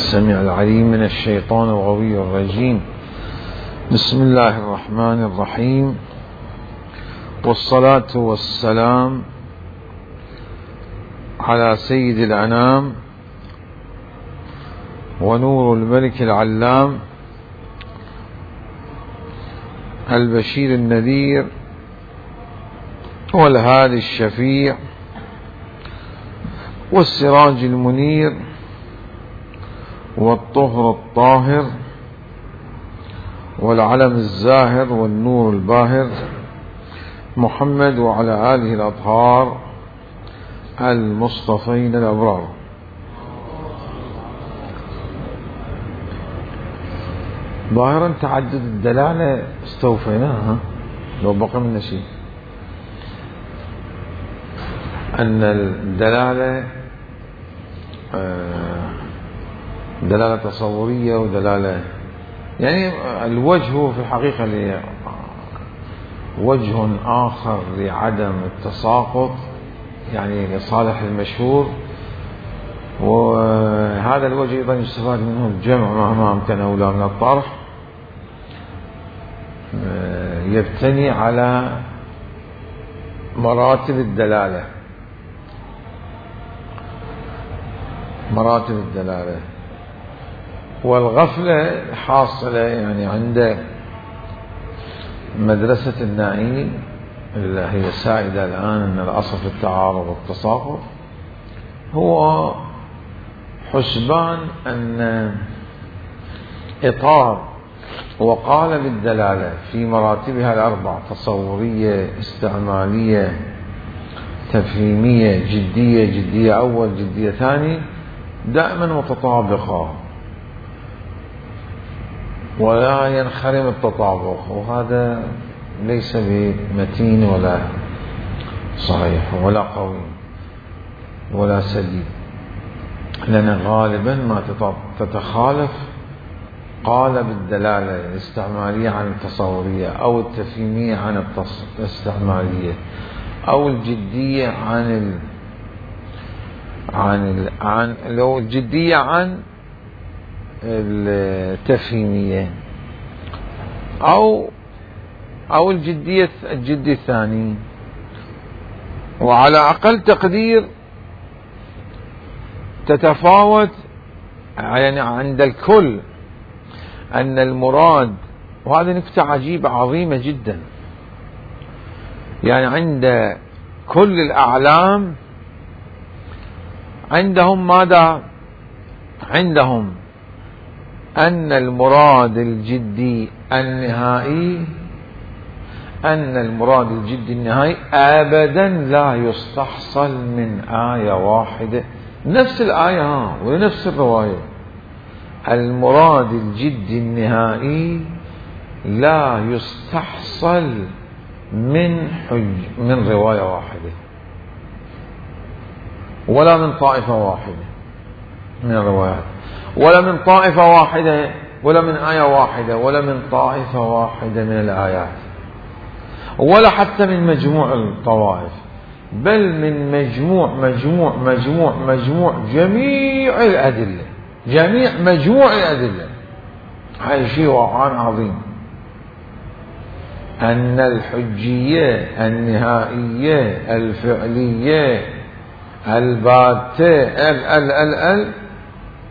السميع العليم من الشيطان الغوي الرجيم. بسم الله الرحمن الرحيم، والصلاة والسلام على سيد الأنام ونور الملك العلام البشير النذير والهادي الشفيع والسراج المنير والطهر الطاهر والعلم الزاهر والنور الباهر محمد وعلى آله الأطهار المصطفين الأبرار. ظاهرا تعدد الدلالة استوفيناها، لو بقى منا شيء أن الدلالة دلالة تصورية ودلالة، يعني الوجه في الحقيقة وجه آخر لعدم التساقط، يعني لصالح المشهور، وهذا الوجه أيضا يستفاد منه الجمع مهما أمكن أولى من الطرح، يبتني على مراتب الدلالة. والغفلة حاصلة يعني عند مدرسة النائي اللي هي سائدة الآن، أن الأصل في التعارض والتساقط هو حسبان أن إطار وقالب الدلالة في مراتبها الأربع: تصورية، استعمالية، تفهيمية، جدية أول، جدية ثاني، دائما متطابقة ولا ينخرم التطابق، وهذا ليس بمتين ولا صحيح ولا قوي ولا سديد، لأن غالبا ما تتخالف قالب الدلالة الاستعمالية عن التصورية، أو التفهيمية عن الاستعمالية، أو الجدية لو الجدية عن التفهيمية، أو الجدي الثاني. وعلى أقل تقدير تتفاوت يعني عند الكل أن المراد، وهذه نكتة عجيبة عظيمة جدا، يعني عند كل الأعلام عندهم ماذا؟ عندهم أن المراد الجدي النهائي أبدا لا يستحصل من آية واحدة، نفس الآية ونفس الرواية. المراد الجدي النهائي لا يستحصل من رواية واحدة، ولا من طائفة واحدة من الروايات، ولا من طائفة واحدة، ولا من آية واحدة، ولا من طائفة واحدة من الآيات، ولا حتى من مجموع الطوائف، بل من مجموع جميع الأدلة، جميع مجموع الأدلة. هذا شيء وقعان عظيم، أن الحجية النهائية الفعلية الباتة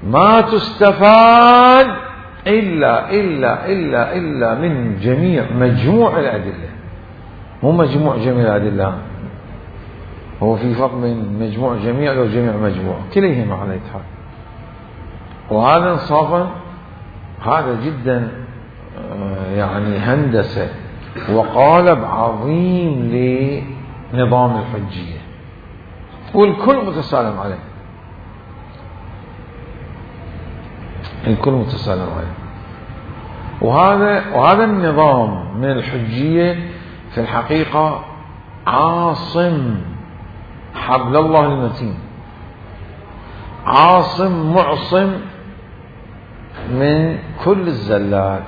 ما تستفاد إلا من مجموع الأدلة، مو مجموع جميع الأدلة. هو في فرق بين مجموع جميع وجميع مجموع، كليهما على الاتحاد. وهذا انصافا هذا جدا يعني هندسة وقالب عظيم لنظام الحجية، والكل متسالم عليه، الكل متسالم عليه. وهذا النظام من الحجية في الحقيقة عاصم حبل الله المتين، عاصم معصم من كل الزلات.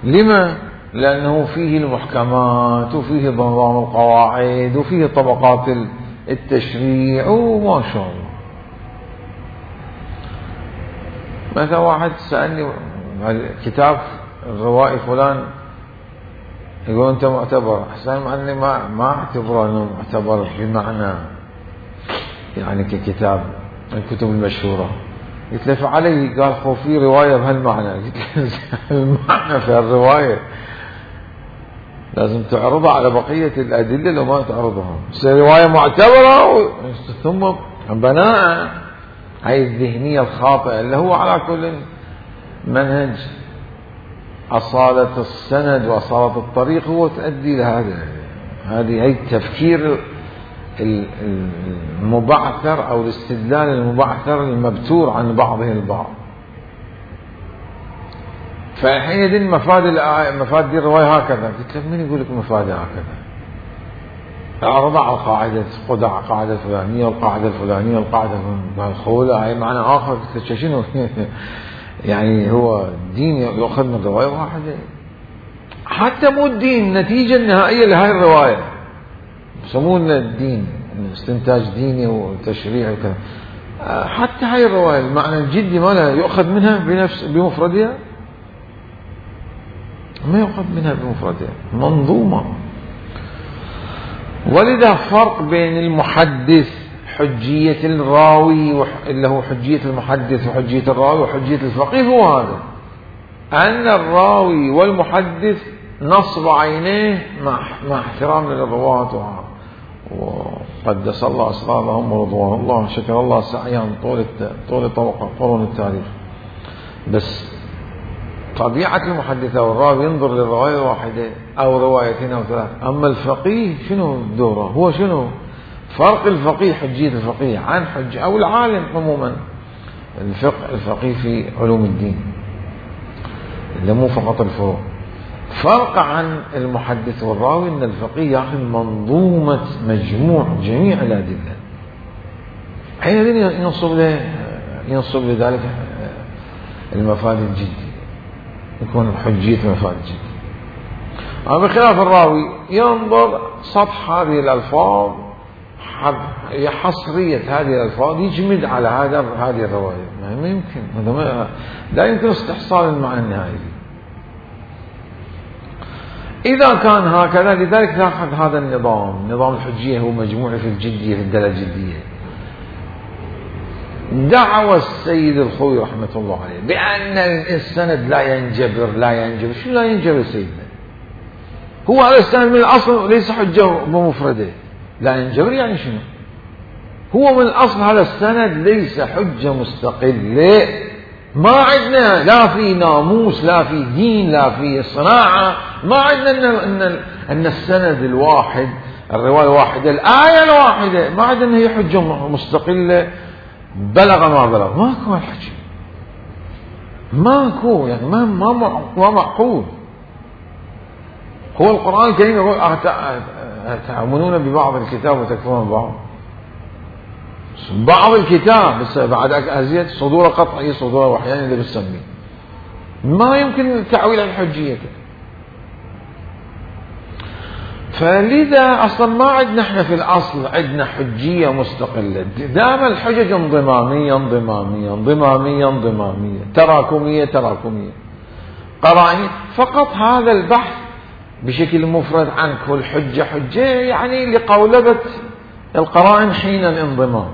لما؟ لأنه فيه المحكمات، وفيه نظام القواعد، وفيه طبقات التشريع، وما شاء الله. مثلا واحد سألني كتاب الروائي فلان يقول أنت معتبر، أحسن أني ما أعتبره أنه معتبر بمعنى يعني ككتاب الكتب المشهورة. قلت له فعلي، قال خو في رواية بهالمعنى. قلت له المعنى في الرواية لازم تعرضها على بقية الأدلة لو ما تعرضها، بس رواية معتبرة ثم بناء هاي الذهنية الخاطئة اللي هو على كل منهج أصالة السند وأصالة الطريق هو تؤدي لهذا. هذه هي التفكير المبعثر أو الاستدلال المبعثر المبتور عن بعضه البعض. فحينئذ مفاد دي الرواية هكذا. قلت له من يقول لك مفاد هكذا؟ أعرض على القاعدة، قدع القاعدة الفلانية والقاعدة الفلانية والقاعدة الخولة هاي معنى آخر. قلت له شنو؟ يعني هو الدين يأخذ من رواية واحدة؟ حتى مو الدين، النتيجة النهائية لهاي الرواية يسمونه الدين، استنتاج ديني وتشريع وكذا. حتى هاي الرواية المعنى الجدي مالها يؤخذ منها بمفردها؟ ما يؤخذ منها بمفردها، منظومة. ولذا فرق بين المحدث حجية الراوي اللي هو حجية المحدث وحجية الراوي وحجية الفقيه هو هذا، أن الراوي والمحدث نصب عينيه مع احترام للرواة وقدس الله أسرارهم ورضوان الله، شكر الله سعيهم طول قرون التاريخ. بس طبيعة المحدث أو الراوي ينظر للرواية واحدة أو روايتين أو ثلاث. أما الفقيه شنو دوره؟ هو شنو فرق الفقيه حجية الفقيه عن حجة أو العالم عموما؟ الفقيه في علوم الدين اللي مو فقط الفروع. فرق عن المحدث والراوي أن الفقيه يأخذ منظومة مجموع جميع الأدلة، حينئذ ينصب لذلك المفاد الجدي، يكون حجية المفاد الجدي. أما بخلاف الراوي ينظر سطح هذه الألفاظ، حصرية هذه الألفاظ يجمد على هذه الرواية. ما يمكن، لا يمكن استحصال المعنى النهائي. إذا كان هكذا لذلك تأخذ هذا النظام، نظام الحجية هو مجموعة في الجدية في الدلالة الجدية. دعوى السيد الخوي رحمة الله عليه بأن السند لا ينجبر. شو لا ينجبر سيدنا؟ هو على السند من الأصل ليس حجة بمفرده. لا ينجبر يعني شنو؟ هو من الأصل هذا السند ليس حجة مستقلة. ما عندنا لا في ناموس لا في دين لا في صناعة، ما عندنا أن السند الواحد الرواية الواحدة الآية الواحدة ما عندنا هي حجة مستقلة بلغ ما بلغ. ماكو الحكي، ماكو، يعني ما معقول. هو القرآن الكريم يقول تؤمنون ببعض الكتاب وتكفرون ببعض. بعض الكتاب بس بعد أزيد صدور قطعي صدور وحيان اللي بتسميه، ما يمكن تعويل عن حجيته. فلذا أصلا ما عندنا احنا في الأصل عندنا حجية مستقلة، دائما الحجج انضمامية تراكمية قرائن. فقط هذا البحث بشكل مفرد عن كل حجة يعني لقولبة القرائن حين الانضمام.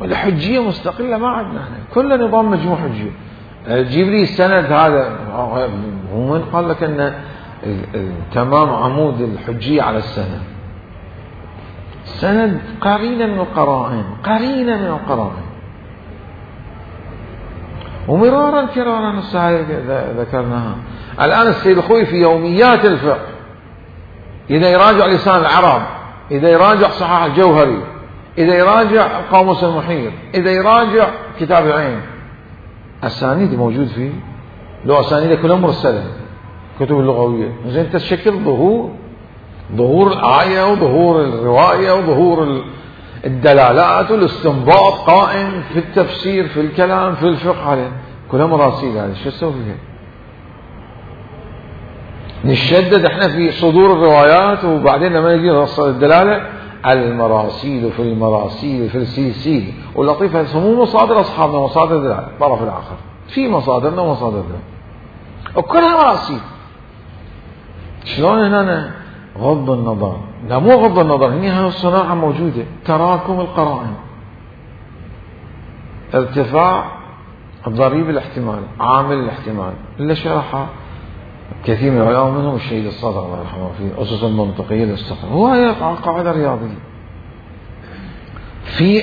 والحجية مستقلة ما عندنا احنا، كل نظام مجموع حجية. جيب لي السند هذا، هو من قال لك ان تمام عمود الحجية على السند قرينة من القرائن ومرارا كرارا ذكرناها. الآن السيد الخوي في يوميات الفقه إذا يراجع لسان العرب، إذا يراجع صحاح الجوهري، إذا يراجع قاموس المحيط، إذا يراجع كتاب العين، أسانيد موجود فيه، لو أسانيد كلها مرسلة كتب اللغوية. زين تشكل ظهور الآية وظهور الرواية وظهور الدلالات والاستنباط قائم في التفسير في الكلام في الفقه عليه، كلها مراسيل. هذه شو نسوي فيها؟ نشدد احنا في صدور الروايات وبعدين لما نجي نوصل الدلالة المراسيل في المراسيل في السلسيل. واللطيفة مو مصادر أصحابنا، مصادر الطرف الآخر، في مصادرنا ومصادرنا وكلها مراسيل. شلون هنا غض النظر؟ لا مو غض النظر، هي الصناعة موجودة، تراكم القرائن، ارتفاع ضريب الاحتمال، عامل الاحتمال اللي شرحها كثير من العلماء منهم الشهيد الصادق الله يرحمه في أسس المنطقية للاستقرار. هو قاعدة رياضية، في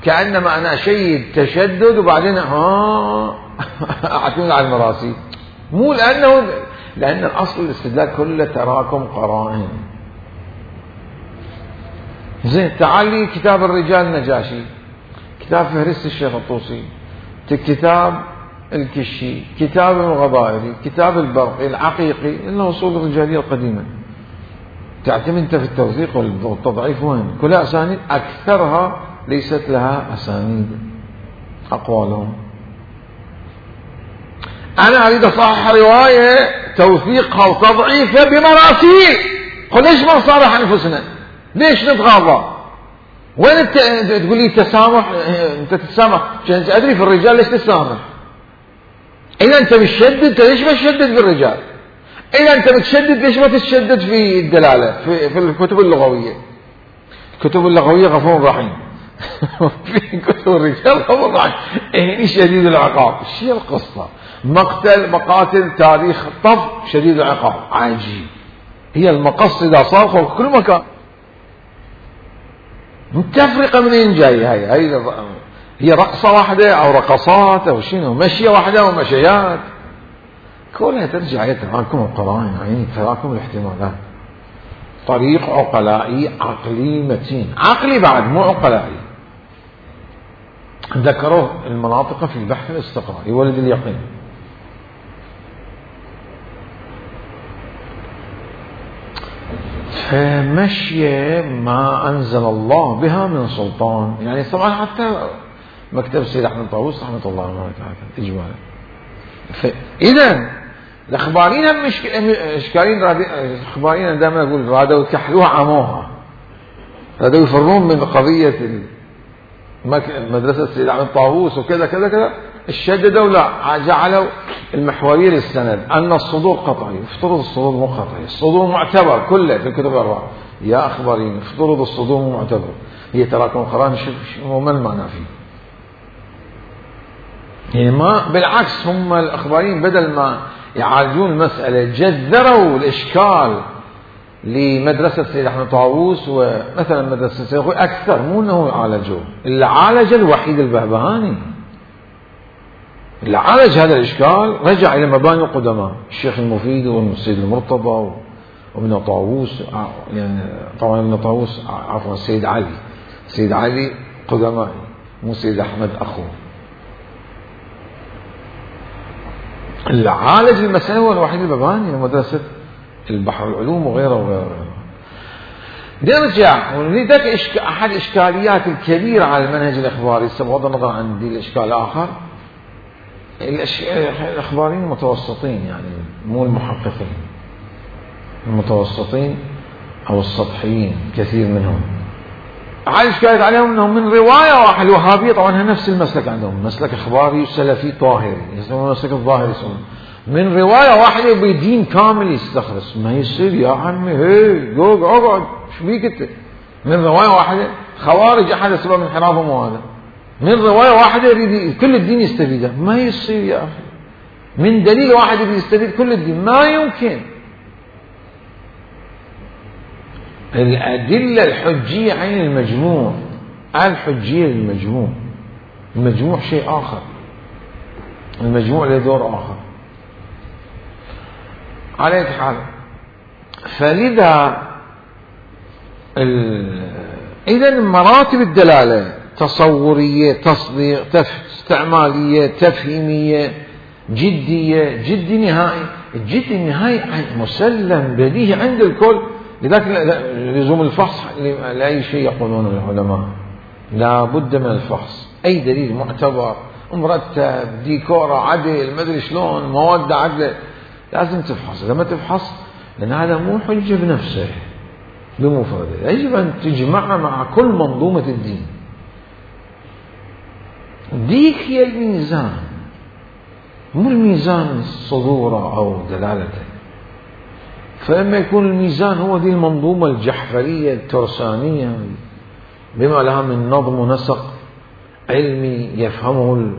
كأنما أنا أشيد تشدد وبعدين أعتمد على المراسيل، مو لأن الأصل الاستدلال كله تراكم قرائن. زين تعال لي كتاب الرجال النجاشي، كتاب فهرست الشيخ الطوسي، كتاب الكشي، كتاب الغضائري، كتاب البرقي، العقيقي، إنه أصول الرجالية القديمة. تعتمد أنت في التوثيق والتضعيف وين؟ كلها أسانيد، أكثرها ليست لها أسانيد أقوالهم. أنا أريد أصحح رواية توثيقها وتضعيفها بمراسيل، قل ليش ما نصارح أنفسنا؟ ليش نتغاضى؟ وين انت تقول لي تسامح؟ انت تتسامح ادري في الرجال ليش تسامح؟ اذا انت بتشدد ليش ما تشدد في الرجال؟ اذا انت بتشدد ليش ما تتشدد في الدلاله في الكتب اللغويه؟ الكتب اللغويه غفور رحيم في كتب الرجال غفور رحيم. هني شديد العقاب، شو القصه؟ مقاتل تاريخ طف شديد العقاب عجيب. هي المقص اذا صار في كل مكان. التفرقة منين جاي؟ هي رقصة واحدة أو رقصات أو شنو؟ مشية واحدة أو مشيات، كلها ترجع إلى تراكم القرائن، يعني تراكم الاحتمالات. طريق عقلائي عقلي متين، عقلي بعد مو عقلائي. ذكروه المناطق في البحث الاستقرائي ولد اليقين. فمشية ما أنزل الله بها من سلطان، يعني طبعا حتى مكتب سيد أحمد طاووس رحمة الله عليه إجمالا. فإذا الأخباريين هم إشكالين، الأخباريين دائما يقول رادوا يكحلوها عموها، رادوا يفرون من قضية مدرسة سيد أحمد طاووس وكذا كذا كذا، الشددوا لا جعلوا المحورية للسند أن الصدور قطعي. افترض الصدور مو قطعي، الصدور معتبر كله في الكتب الأربعة. يا أخبارين افترض الصدور مو معتبر، هي تراكم القرآن ما المعنى فيه؟ يعني ما بالعكس، هم الأخبارين بدل ما يعالجون المسألة جذروا الإشكال لمدرسة سيد أحمد طاووس ومثلا مدرسة سيد أكثر، مو أنه يعالجوه. اللي عالج الوحيد البهبهاني، اللي عالج هذا الإشكال رجع إلى مباني القدماء، الشيخ المفيد والسيد المرتضى وابن طاووس، يعني طبعا ابن طاووس عفوا السيد علي قدمائي مو سيد أحمد أخوه. اللي عالج المسألة هو الوحيد البهبهاني لمدرسة البحر العلوم وغيره وغيره. نرجع ولذلك أحد الإشكاليات الكبيرة على المنهج الإخباري، بغض النظر عن دي الإشكال الآخر، الأخباريين متوسطين، يعني مو المحققين، المتوسطين أو السطحيين كثير منهم. أحد الإشكاليات عليهم أنهم من رواية واحدة، الوهابية طبعا نفس المسلك عندهم، مسلك إخباري سلفي طاهري يسمونه مسلك الظاهري، يسمونه من رواية واحدة بدين كامل يستخلص. ما يصير يا عمي، هي اقعد شو بيك انت؟ من رواية واحدة خوارج أحد أسباب انحرافهم هذا، من رواية واحدة يريد كل الدين يستفيده. ما يصير يا أخي، من دليل واحد يريد يستفيد كل الدين، ما يمكن. الأدلة الحجية عين المجموع، الحجية للمجموع، المجموع شيء آخر، المجموع له دور آخر. على أي حال، فلذا إذا مراتب الدلالة تصورية، تصديق، استعمالية، تفهيمية، جدية، جدي نهائي. الجدي النهائي مسلم بديهي عند الكل. لذلك لزوم الفحص لأي شيء يقولون العلماء، لا بد من الفحص. أي دليل معتبر مرتب، ديكورة عدل، ما أدري شلون، مواد عدل، لازم تفحص. إذا ما تفحص، لأن هذا مو حجة بنفسه، بمفردها، يجب أن تجمعها مع كل منظومة الدين. ديك هي الميزان، مو الميزان صدوره أو دلالته. فلما يكون الميزان هو دي المنظومة الجحفرية الترسانية بما لها من نظم ونسق علمي يفهمه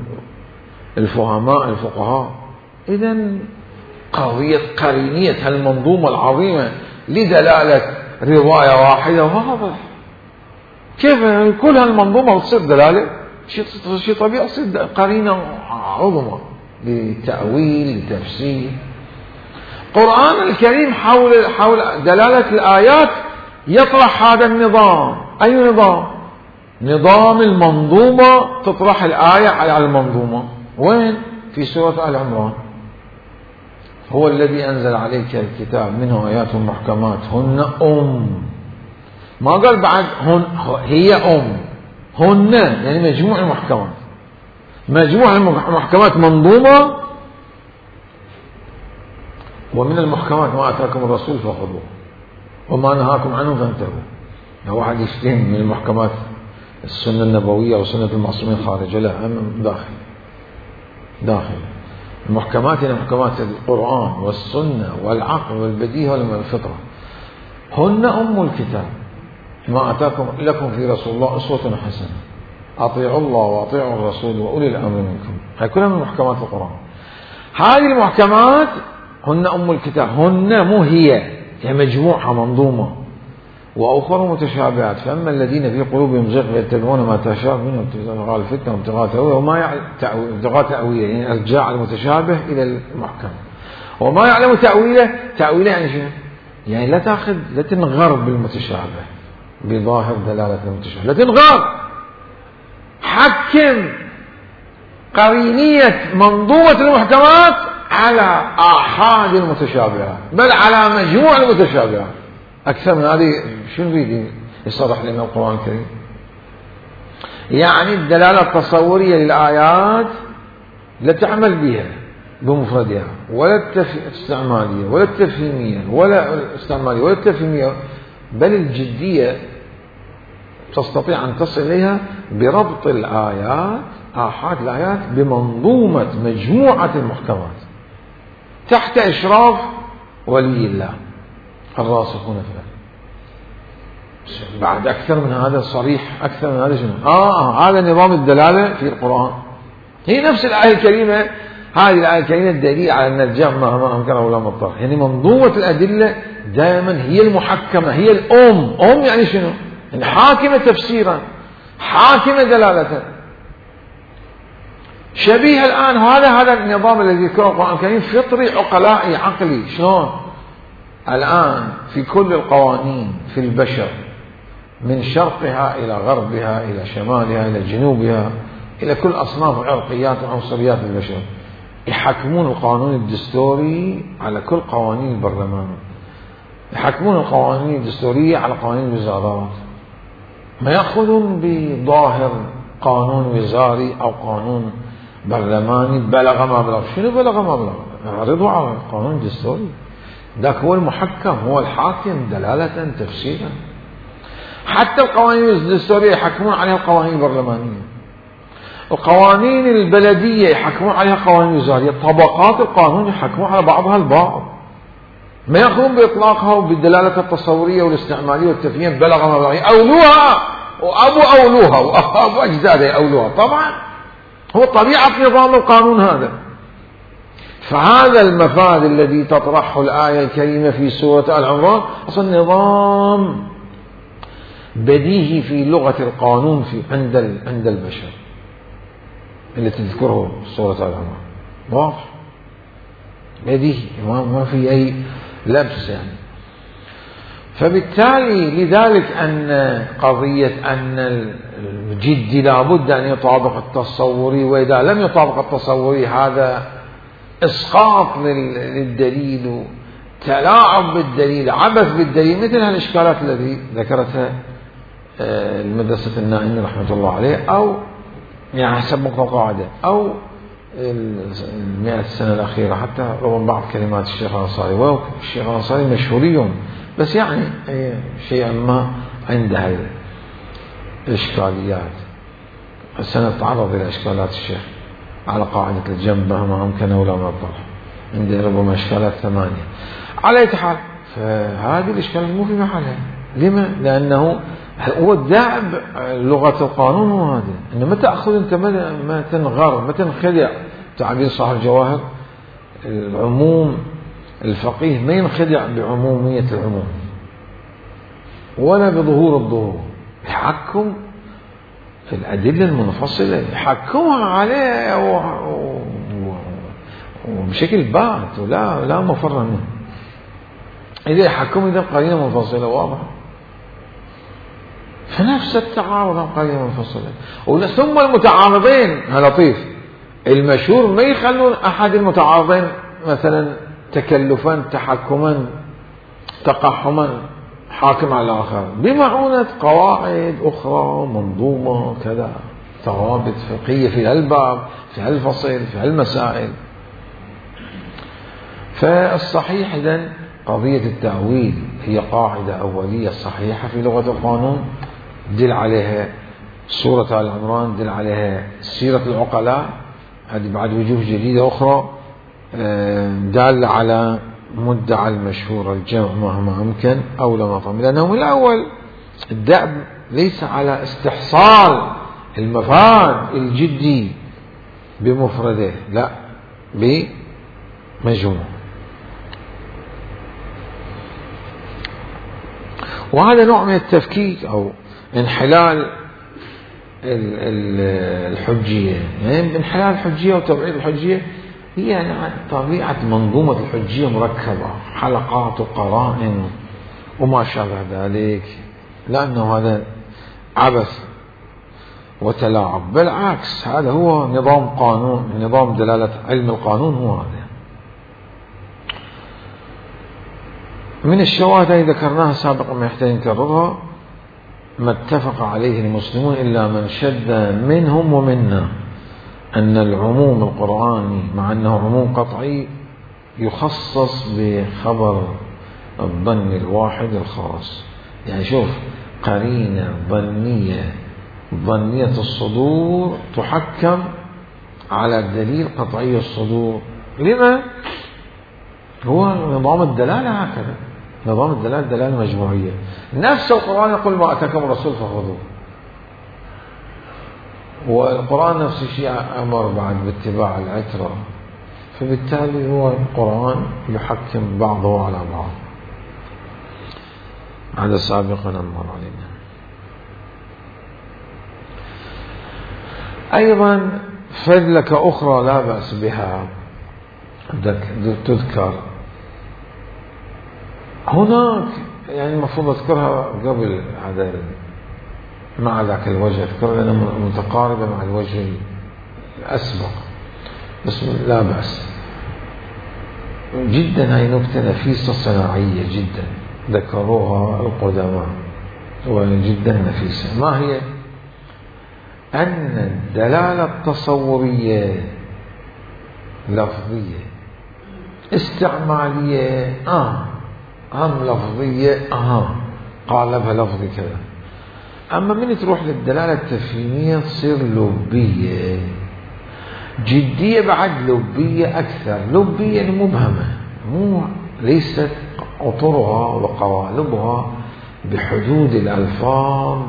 الفقهاء، إذن قضية قرينية هالمنظومة العظيمة لدلالة رواية واحدة واضح. كيف يعني كل هالمنظومة تصير دلالة؟ شيء طبيعي، تصير قرينة عظمى لتأويل لتفسير. القرآن الكريم حول دلالة الآيات يطرح هذا النظام. أي نظام؟ نظام المنظومة، تطرح الآية على المنظومة. وين؟ في سورة آل عمران. هو الذي أنزل عليك الكتاب منه آيات محكمات هن ما قال بعد هي هن يعني مجموع المحكمات. مجموع المحكمات منظومة. ومن المحكمات ما أتاكم الرسول فخذوه وما نهاكم عنه فانتهوا. لو واحد يشتهم من المحكمات السنة النبوية وسنة المعصومين خارج، لا، داخل المحكمات هي محكمات القرآن والسنة والعقل والبديهة والفطرة. هن الكتاب ما أتاكم لكم في رسول الله أسوة حسنة أطيعوا الله وأطيعوا الرسول وأولي الأمر منكم. هاي كلها من محكمات القرآن. هذه المحكمات هن الكتاب. هن مو هي مجموعة منظومة. وأخرى متشابهات، فأما الذين في قلوبهم زيغ يتبعون ما تشابه منه ابتغاء الفتنة وابتغاء تأويله وما يعلم ابتغاء تأويله، يعني ارجاع المتشابه إلى المحكم. وما يعلم تأويله يعني شنو؟ يعني لا تنغر بالمتشابه بظاهر دلالة المتشابه، لا تنغر. حكم قرينية منظومة المحكمات على آحاد المتشابهات، بل على مجموع المتشابهات. أكثر من هذه شنو يريد يصرح لنا القرآن الكريم؟ يعني الدلالة التصورية للآيات لا تعمل بها بمفردها، ولا الاستعمالية ولا التفهيمية ولا الاستعمالية ولا التفهيمية، بل الجدية تستطيع أن تصل إليها بربط الآيات، آحاد الآيات، بمنظومة مجموعة المحكمات تحت إشراف ولي الله الراسخون في العلم. بعد أكثر من هذا صريح، أكثر من هذا شنو؟ هذا نظام الدلالة في القرآن. هي نفس الآية الكريمة. هذه الآية الكريمة الدليل على أن الجمع مهما أمكن ولا مضطر. يعني منظومة الأدلة دائما هي المحكمة، هي الأم يعني شنو؟ يعني حاكمة تفسيرا، حاكمة دلالة. شبيه الآن هذا النظام الذي ذكره القرآن الكريم فطري عقلائي عقلي. شلون؟ الآن في كل القوانين في البشر من شرقها إلى غربها إلى شمالها إلى جنوبها إلى كل أصناف عرقيات وعنصريات البشر، يحكمون القانون الدستوري على كل قوانين البرلمان، يحكمون القوانين الدستورية على قوانين الوزارات، ما يأخذون بظاهر قانون وزاري أو قانون برلماني بلغ ما بلغ. شنو بلغ ما بلغ؟ يعرضوا على القانون الدستوري. ذاك هو المحكم، هو الحاكم دلالة تفسيرا. حتى القوانين الدستورية يحكمون عليها القوانين البرلمانية، القوانين البلدية يحكمون عليها قوانين وزارية، طبقات القانون يحكمون على بعضها البعض، ما يأخذون بإطلاقها وبالدلالة التصورية والاستعمالية والتفهيم بلغ ما بلغ، أولوها أولوها وأبو أجدادها أولوها. طبعا هو طبيعة نظام القانون هذا. فهذا المفاد الذي تطرحه الآية الكريمة في سورة آل عمران أصلا نظام بديهي في لغة القانون عند البشر اللي تذكره سورة آل عمران، واضح بديهي، ما في أي لبس يعني. فبالتالي لذلك أن قضية أن الجد لابد أن يطابق التصوري، وإذا لم يطابق التصوري هذا إسقاط للدليل، تلاعب بالدليل، عبث بالدليل، مثل هالإشكالات التي ذكرتها المدرسة النائمي رحمة الله عليه، أو يعني حسب مقتضى القاعدة، أو 100 سنة الأخيرة، حتى رغم بعض كلمات الشيخ الأنصاري، والشيخ الأنصاري مشهوري بس يعني شيئا ما عندها الإشكاليات. سنتعرض إلى إشكالات الشيخ على قاعدة الجنب مهما أمكن ولا ما الطرح، عنده ربما إشكالات 8. على أي حال فهذه الإشكالات مو في محلها. لما؟ لأنه هو الداعب لغة القانون هو هذا، إنه ما تأخذ أنت ما تنغر ما تنخدع. تعبير صاحب الجواهر، العموم الفقيه ما ينخدع بعمومية العموم ولا بظهور الظهور، يحكم في الأدلة المنفصلة، يحكمها عليه وبشكل بات ولا مفر منه. إذا يحكم إذا قرينة منفصلة واضحة، فنفس التعارض عن قرينة منفصلة. ثم المتعارضين لطيف المشهور ما يخلون أحد المتعارضين مثلا تكلفا تحكما تقحما حاكم على الآخر، بمعونة قواعد أخرى منظومة كذا، ثوابت فقهية في هالباب في هالفصل في هالمسائل. فالصحيح إذن قضية التأويل هي قاعدة أولية صحيحة في لغة القانون، دل عليها سورة آل عمران، دل عليها سيرة العقلاء، هذه بعد وجوه جديدة أخرى دال على مدعى المشهور الجمع مهما أمكن أو لما طم، لأنه من الأول الدأب ليس على استحصال المفاد الجدي بمفرده، لا بمجموع. وهذا نوع من التفكيك أو انحلال الحجية. يعني انحلال الحجية وتبعيد الحجية هي يعني طبيعة منظومة الحجية مركبة، حلقات وقرائن وما شابه ذلك، لأنه هذا عبث وتلاعب. بالعكس هذا هو نظام قانون، نظام دلالة علم القانون هو هذا. من الشواهد التي ذكرناها سابقا ما يحتاج نكررها، ما اتفق عليه المسلمون إلا من شد منهم ومنا، أن العموم القرآني مع أنه عموم قطعي يخصص بخبر الظن الواحد الخاص. يعني شوف، قرينة ظنية الصدور تحكم على دليل قطعي الصدور. لما؟ هو نظام الدلالة هكذا، نظام الدلالة دلالة مجموعية. نفس القرآن يقول ما أتاكم الرسول فخذوه، والقرآن نفس الشيء أمر بعد باتباع العترة، فبالتالي هو القرآن يحكم بعضه على بعض. هذا سابقا أمر علينا. أيضا فذلك أخرى لا بأس بها تذكر هناك، يعني المفروض أذكرها قبل هذا مع ذاك الوجه، أذكر لأنها متقاربة مع الوجه الأسبق، بس لا بأس جدا. هاي نكتة نفيسة صناعية جدا ذكروها القدماء وجدا نفيسة. ما هي؟ أن الدلالة التصورية لفظية استعمالية أهم لفظية قالبها لفظي كذا. أما من تروح للدلالة التفهيمية تصير لبية جدية، بعد لبية أكثر، لبية يعني مبهمة، ليست أطرها وقوالبها بحدود الألفاظ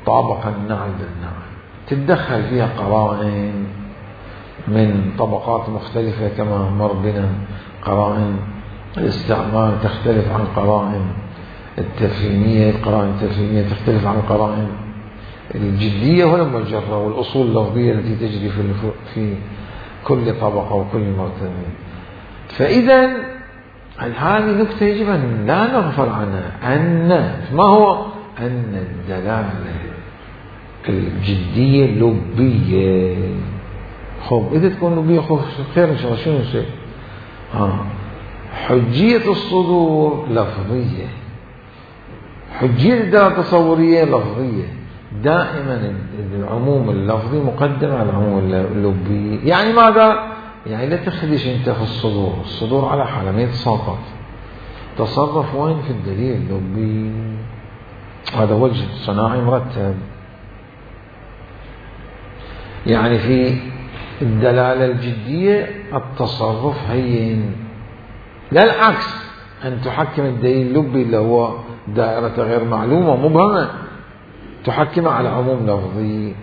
طابق النعل بالنعل، تتدخل فيها قرائن من طبقات مختلفة كما مر بنا. قرائن الاستعمال تختلف عن قرائن التفهيمية، القرائن التفهيمية تختلف عن القرائن الجدية والمجرة، والأصول اللفظية التي تجري في كل طبقة وكل مرتبة. فإذا هذه نكتة يجب أن لا نغفل عنها، أن ما هو أن الدلالة الجدية لبية. إذا تكون لبية خير إن شاء الله. شنو الشيء؟ حجية الصدور لفظية، حجية الدلالة التصورية لفظية، دائما العموم اللفظي مقدم على العموم اللبي. يعني ماذا؟ يعني لا تخدش انت في الصدور على حالة ما يتساقط، تصرف وين في الدليل اللبي. هذا وجه صناعي مرتب. يعني في الدلالة الجدية التصرف هين، لا العكس، أن تحكم الدليل اللبي اللي هو دائرة غير معلومة مبهمة تحكم على عموم لفظي.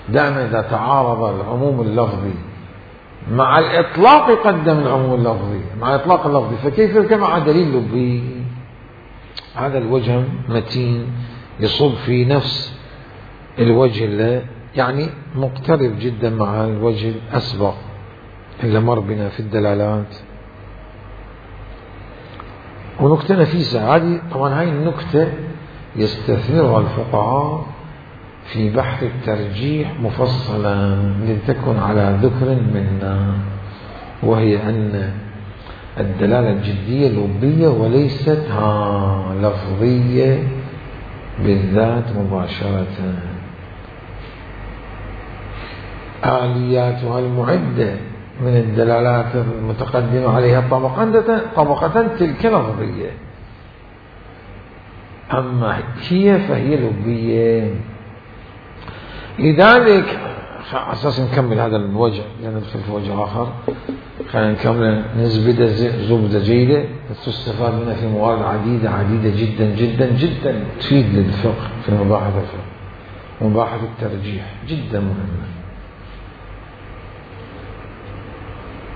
دائما إذا تعارض العموم اللفظي مع الإطلاق يقدم العموم اللفظي مع الإطلاق اللفظي، فكيف يركب مع دليل لبي؟ هذا الوجه متين يصب في نفس الوجه اللي يعني مقترب جدا مع الوجه الأسبق اللي مر بنا في الدلالات. ونكتة نفيسة هذه، طبعا هاي النكتة يستثمرها الفقهاء في بحث الترجيح مفصلا لتكن على ذكر منا، وهي أن الدلالة الجدية لبية وليست لفظية بالذات مباشرة. آلياتها المعدة من الدلالات المتقدمة عليها طبقة تلك لفظية، أما هي فهي لبية. لذلك أساس نكمل هذا الوجه لأن ندخل في وجه آخر، خلينا نكمل نزبد زبدة جيدة تستفاد منها في موارد عديدة جدا جدا جدا تفيد للفقه في مباحث الفقه. مباحث الترجيح جدا مهمة.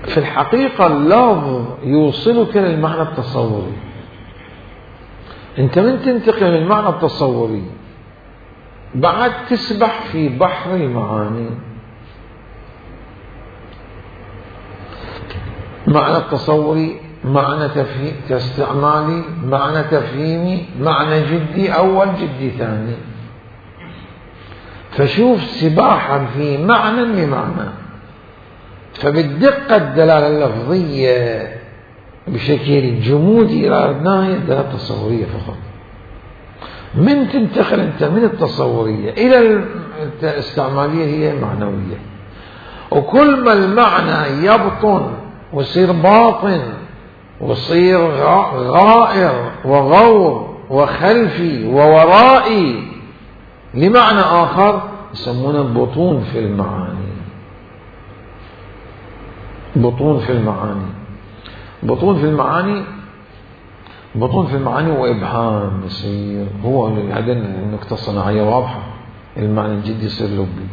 في الحقيقة اللفظ يوصلك للمعنى التصوري. انت من تنتقل من المعنى التصوري بعد تسبح في بحر المعاني. معنى التصوري، معنى استعمالي، معنى تفهيمي، معنى جدي أول جدي ثاني. فشوف سباحا في معنى لمعنى. فبالدقة الدلالة اللفظية بشكل جمودي إلى أردناها الدلالة التصورية فقط. من تنتقل أنت من التصورية إلى الاستعمالية هي معنوية. وكل ما المعنى يبطن ويصير باطن ويصير غائر وغور وخلفي وورائي لمعنى آخر يسمونه بطون في المعاني. بطون في المعاني. بطون في المعاني. بطون في المعاني وإبهام يصير. هو هذا النكتة الصناعية واضحة. المعنى الجدي يصير لبي.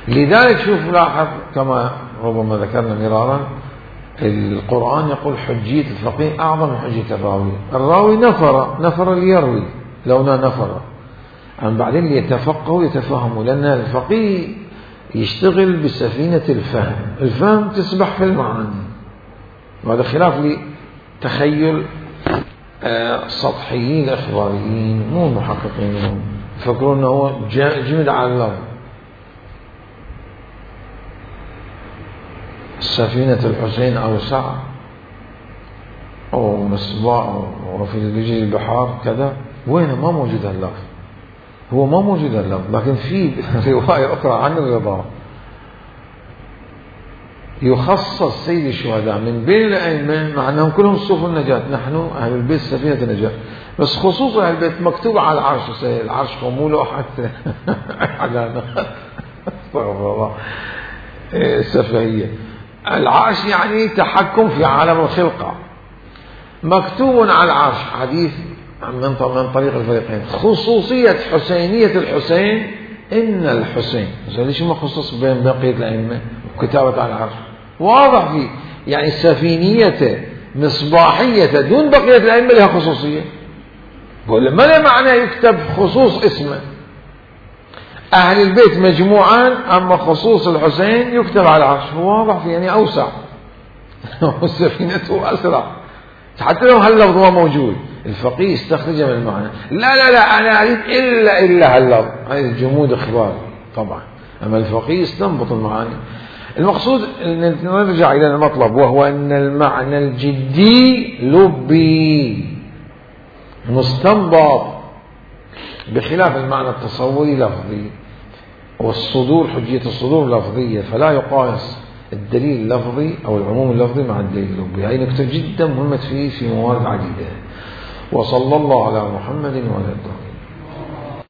لذلك شوف لاحظ كما ربما ذكرنا مرارا، القرآن يقول حجية الفقيه أعظم من حجية الراوي. الراوي نفر ليروي لونا نفر، أما بعدين ليتفقهوا يتفهموا، لأن الفقيه يشتغل بسفينة الفهم. الفهم تسبح في المعاني، وهذا خلاف لتخيل سطحيين الإخباريين مو المحققين منهم يفكرون أنه جمد على اللفظ. سفينة الحسين أوسع أو مصباح وفي رجل البحار كذا، وين ما موجود اللفظ. هو ما موجود اللفظ، لكن في رواية أخرى عن الرضا يخصص سيد الشهداء من بين الأئمة، مع أنهم كلهم صوف النجاة، نحن أهل البيت سفينة النجاة، بس خصوصا أهل البيت مكتوب على العرش، العرش خموله حتى على استغفر الله السفهية. العرش يعني تحكم في عالم الخلقة، مكتوب على العرش حديث من طريق الفريقين. خصوصية حسينية الحسين إن الحسين، ليش ما خصص بين بقية الأئمة وكتابة على العرش واضح فيه، يعني سفينية مصباحية دون بقية الأئمة لها خصوصية. بقول ما له معنى يكتب خصوص اسمه أهل البيت مجموعان، أما خصوص الحسين يكتب على العرش، واضح فيه يعني أوسع وسفينته أسرع، حتى لو هاللفظ هو موجود الفقيه استخرجه من المعنى. لا أنا أريد إلا هاللفظ، هذا الجمود إخباري طبعا، أما الفقيه استنبط المعاني. المقصود أن نرجع إلى المطلب، وهو أن المعنى الجدي لبي مستنبط بخلاف المعنى التصوري لفظي، والصدور حجية الصدور لفظية، فلا يقاس الدليل اللفظي أو العموم اللفظي مع الدليل اللغوي. هذه نكتة جدا مهمة في موارد عديدة. وصلى الله على محمد وعلى آله.